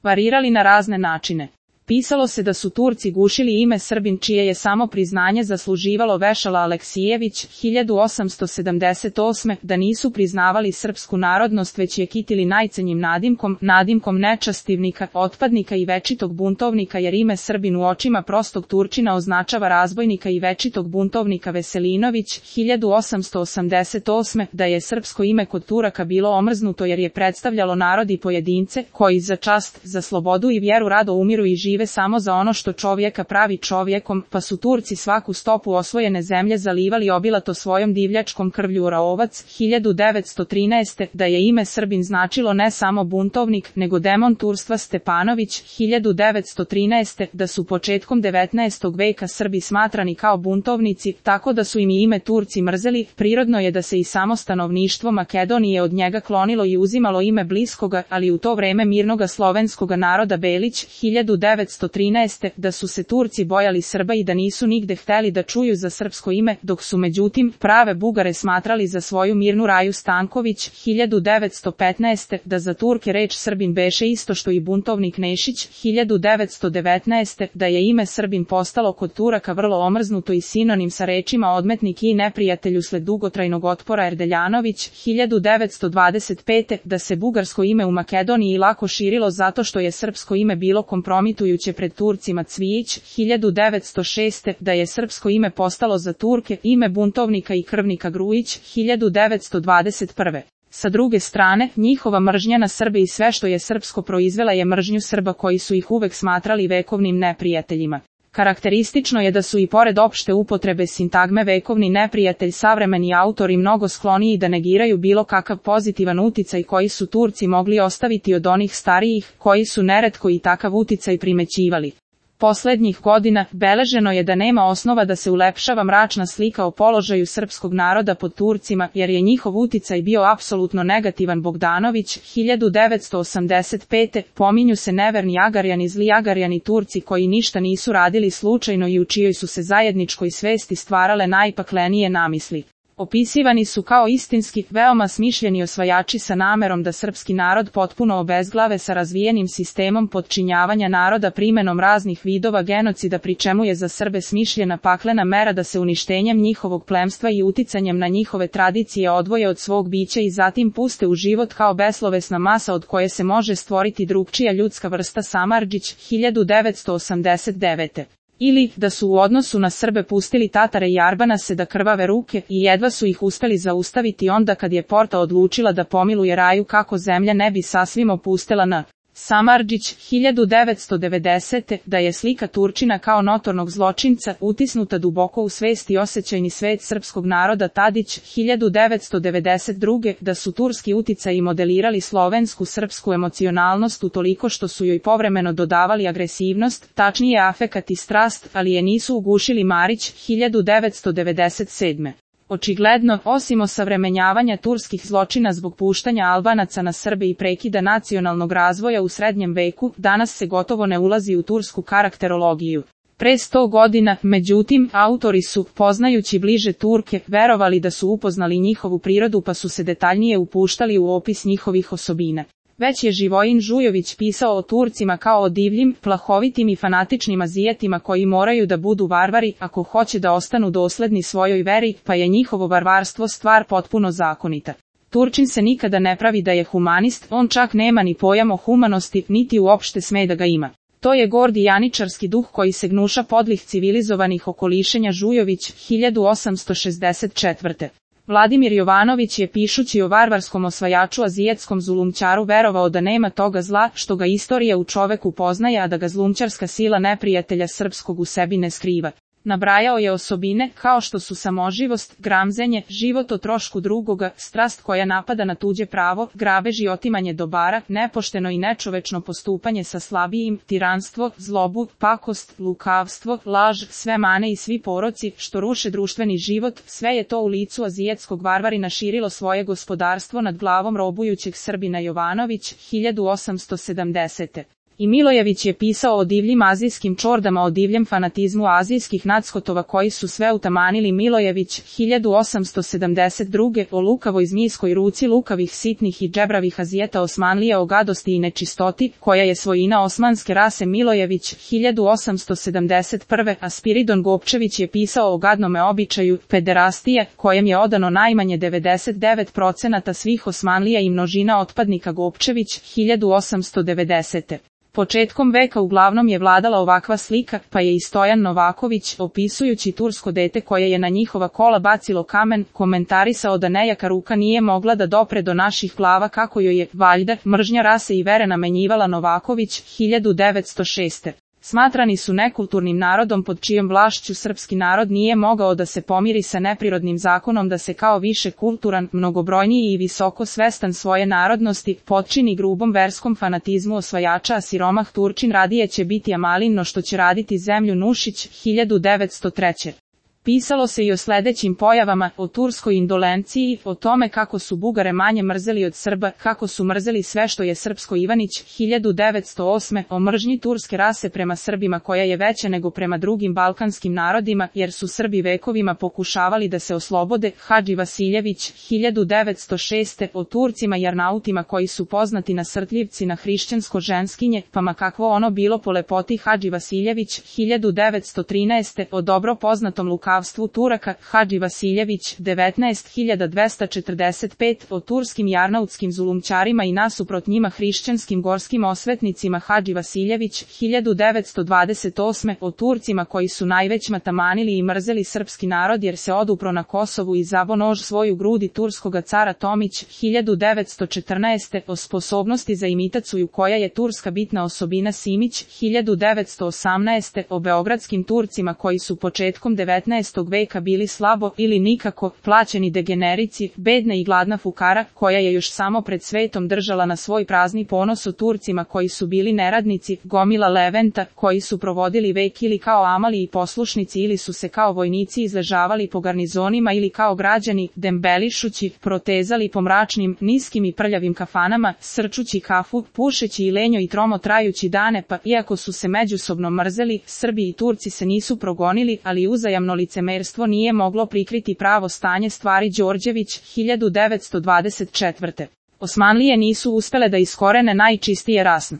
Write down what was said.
varirali na razne načine. Pisalo se da su Turci gušili ime Srbin, čije je samo priznanje zasluživalo Vešala Aleksijević 1878. Da nisu priznavali srpsku narodnost, već je kitili najcenjim nadimkom nečastivnika, otpadnika i večitog buntovnika, jer ime Srbin u očima prostog Turčina označava razbojnika i večitog buntovnika. Veselinović 1888. Da je srpsko ime kod Turaka bilo omrznuto jer je predstavljalo narod i pojedince koji za čast, za slobodu i vjeru rado umiru i žive samo za ono što čovjeka pravi čovjekom, pa su Turci svaku stopu osvojene zemlje zalivali obilato svojom divljačkom krvlju. Raovac 1913. Da je ime Srbin značilo ne samo buntovnik, nego demon turstva. Stepanović 1913. Da su početkom 19. veka Srbi smatrani kao buntovnici, tako da su im ime Turci mrzeli. Prirodno je da se i samo stanovništvo Makedonije od njega klonilo i uzimalo ime bliskoga, ali u to vreme mirnoga slovenskoga naroda. Belić 1913. Da su se Turci bojali Srba i da nisu nigde hteli da čuju za srpsko ime, dok su međutim prave Bugare smatrali za svoju mirnu. Raju Stanković 1915. Da za Turke reč Srbin beše isto što i buntovnik. Nešić 1919. Da je ime Srbin postalo kod Turaka vrlo omrznuto i sinonim sa rečima odmetnik i neprijatelj usled dugotrajnog otpora. Erdeljanović 1925. Da se bugarsko ime u Makedoniji lako širilo zato što je srpsko ime bilo kompromitujuće pred Turcima. Cvijić 1906. Da je srpsko ime postalo za Turke ime buntovnika i krvnika. Grujić 1921. Sa druge strane, njihova mržnja na Srbe i sve što je srpsko proizvela je mržnju Srba koji su ih uvek smatrali vekovnim neprijateljima. Karakteristično je da su i pored opšte upotrebe sintagme vekovni neprijatelj savremeni autori mnogo skloniji da negiraju bilo kakav pozitivan uticaj koji su Turci mogli ostaviti od onih starijih, koji su neretko i takav uticaj primećivali. Poslednjih godina beleženo je da nema osnova da se ulepšava mračna slika o položaju srpskog naroda pod Turcima, jer je njihov uticaj bio apsolutno negativan. Bogdanović 1985. Pominju se neverni Agarjani, zli Agarjani, Turci koji ništa nisu radili slučajno i u čijoj su se zajedničkoj svesti stvarale najpaklenije namisli. Opisivani su kao istinski, veoma smišljeni osvajači sa namerom da srpski narod potpuno obezglave sa razvijenim sistemom podčinjavanja naroda primenom raznih vidova genocida, pri čemu je za Srbe smišljena paklena mera da se uništenjem njihovog plemstva i uticanjem na njihove tradicije odvoje od svog bića i zatim puste u život kao beslovesna masa od koje se može stvoriti drugčija ljudska vrsta. Samardžić 1989. Ili, da su u odnosu na Srbe pustili Tatare i Arbanase da krvave ruke i jedva su ih uspeli zaustaviti onda kad je Porta odlučila da pomiluje Raju kako zemlja ne bi sasvim opustela na Samardžić 1990. Da je slika Turčina kao notornog zločinca utisnuta duboko u svest i osjećajni svet srpskog naroda. Tadić 1992. Da su turski uticaji modelirali slovensku srpsku emocionalnost utoliko što su joj povremeno dodavali agresivnost, tačnije afekat i strast, ali je nisu ugušili. Marić 1997. Očigledno, osim osavremenjavanja turskih zločina zbog puštanja Albanaca na Srbe i prekida nacionalnog razvoja u srednjem veku, danas se gotovo ne ulazi u tursku karakterologiju. Pre 100 godina, međutim, autori su, poznajući bliže Turke, verovali da su upoznali njihovu prirodu pa su se detaljnije upuštali u opis njihovih osobina. Već je Živojin Žujović pisao o Turcima kao o divljim, plahovitim i fanatičnim Azijatima koji moraju da budu varvari ako hoće da ostanu dosledni svojoj veri, pa je njihovo varvarstvo stvar potpuno zakonita. Turčin se nikada ne pravi da je humanist, on čak nema ni pojam o humanosti, niti uopšte sme da ga ima. To je gordi janičarski duh koji se gnuša podlih civilizovanih okolišenja. Žujović 1864. Vladimir Jovanović je pišući o varvarskom osvajaču azijetskom zulumčaru verovao da nema toga zla što ga istorija u čoveku poznaje, a da ga zlumčarska sila neprijatelja srpskog u sebi ne skriva. Nabrajao je osobine kao što su samoživost, gramzenje, život o trošku drugoga, strast koja napada na tuđe pravo, grabež i otimanje dobara, nepošteno i nečovečno postupanje sa slabijim, tiranstvo, zlobu, pakost, lukavstvo, laž, sve mane i svi poroci što ruše društveni život, sve je to u licu azijetskog varvarina širilo svoje gospodarstvo nad glavom robujućeg Srbina. Jovanović 1870. I Milojević je pisao o divljim azijskim čordama, o divljem fanatizmu azijskih nadskotova koji su sve utamanili. Milojević, 1872. o lukavoj zmijskoj ruci lukavih, sitnih i džebravih Azijeta Osmanlije, o gadosti i nečistoti, koja je svojina osmanske rase. Milojević, 1871. a Spiridon Gopčević je pisao o gadnome običaju pederastije, kojem je odano najmanje 99% svih Osmanlija i množina otpadnika. Gopčević, 1890. Početkom veka uglavnom je vladala ovakva slika, pa je i Stojan Novaković, opisujući tursko dete koje je na njihova kola bacilo kamen, komentarisao da nejaka ruka nije mogla da dopre do naših glava, kako joj je, valjda, mržnja rase i vere namenjivala. Novaković, 1906. Smatrani su nekulturnim narodom pod čijom vlašću srpski narod nije mogao da se pomiri sa neprirodnim zakonom da se kao više kulturan, mnogobrojniji i visoko svestan svoje narodnosti potčini grubom verskom fanatizmu osvajača, a siromah Turčin radije će biti Amalin no što će raditi zemlju. Nušić, 1903. Pisalo se i o sledećim pojavama, o turskoj indolenciji, o tome kako su Bugare manje mrzeli od Srba, kako su mrzeli sve što je srpsko. Ivanić, 1908. o mržnji turske rase prema Srbima koja je veća nego prema drugim balkanskim narodima, jer su Srbi vekovima pokušavali da se oslobode. Hadži Vasiljević, 1906. o Turcima i Arnautima koji su poznati nasrtljivci na hrišćansko ženskinje, pa ma kakvo ono bilo po lepoti. Hadži Vasiljević, 1913. o dobro poznatom lukavstvu Turaka. Hadži Vasiljević, 19.245. o turskim i arnautskim zulumčarima i nasuprot njima hrišćanskim gorskim osvetnicima. Hadži Vasiljević, 1928. o Turcima koji su najveć tamanili i mrzeli srpski narod jer se odupro na Kosovu i zabo nož svoju grudi turskoga cara. Tomić, 1914. o sposobnosti za imitacuju koja je turska bitna osobina. Simić, 1918. o beogradskim Turcima koji su početkom 19. veka bili slabo ili nikako plaćeni degenerici, bedna i gladna fukara koja je još samo pred svetom držala na svoj prazni ponos. O Turcima koji su bili neradnici, gomila Leventa, koji su provodili vek ili kao amali i poslušnici ili su se kao vojnici izležavali po garnizonima ili kao građani, dembelišući, protezali po mračnim, niskim i prljavim kafanama, srčući kafu, pušeći i lenjo i tromo trajući dane, pa iako su se međusobno mrzeli, Srbi i Turci se nisu progonili, ali uzajamno licemerstvo nije moglo prikriti pravo stanje stvari. Đorđević, 1924. Osmanlije nisu uspele da iskorene najčistije rasno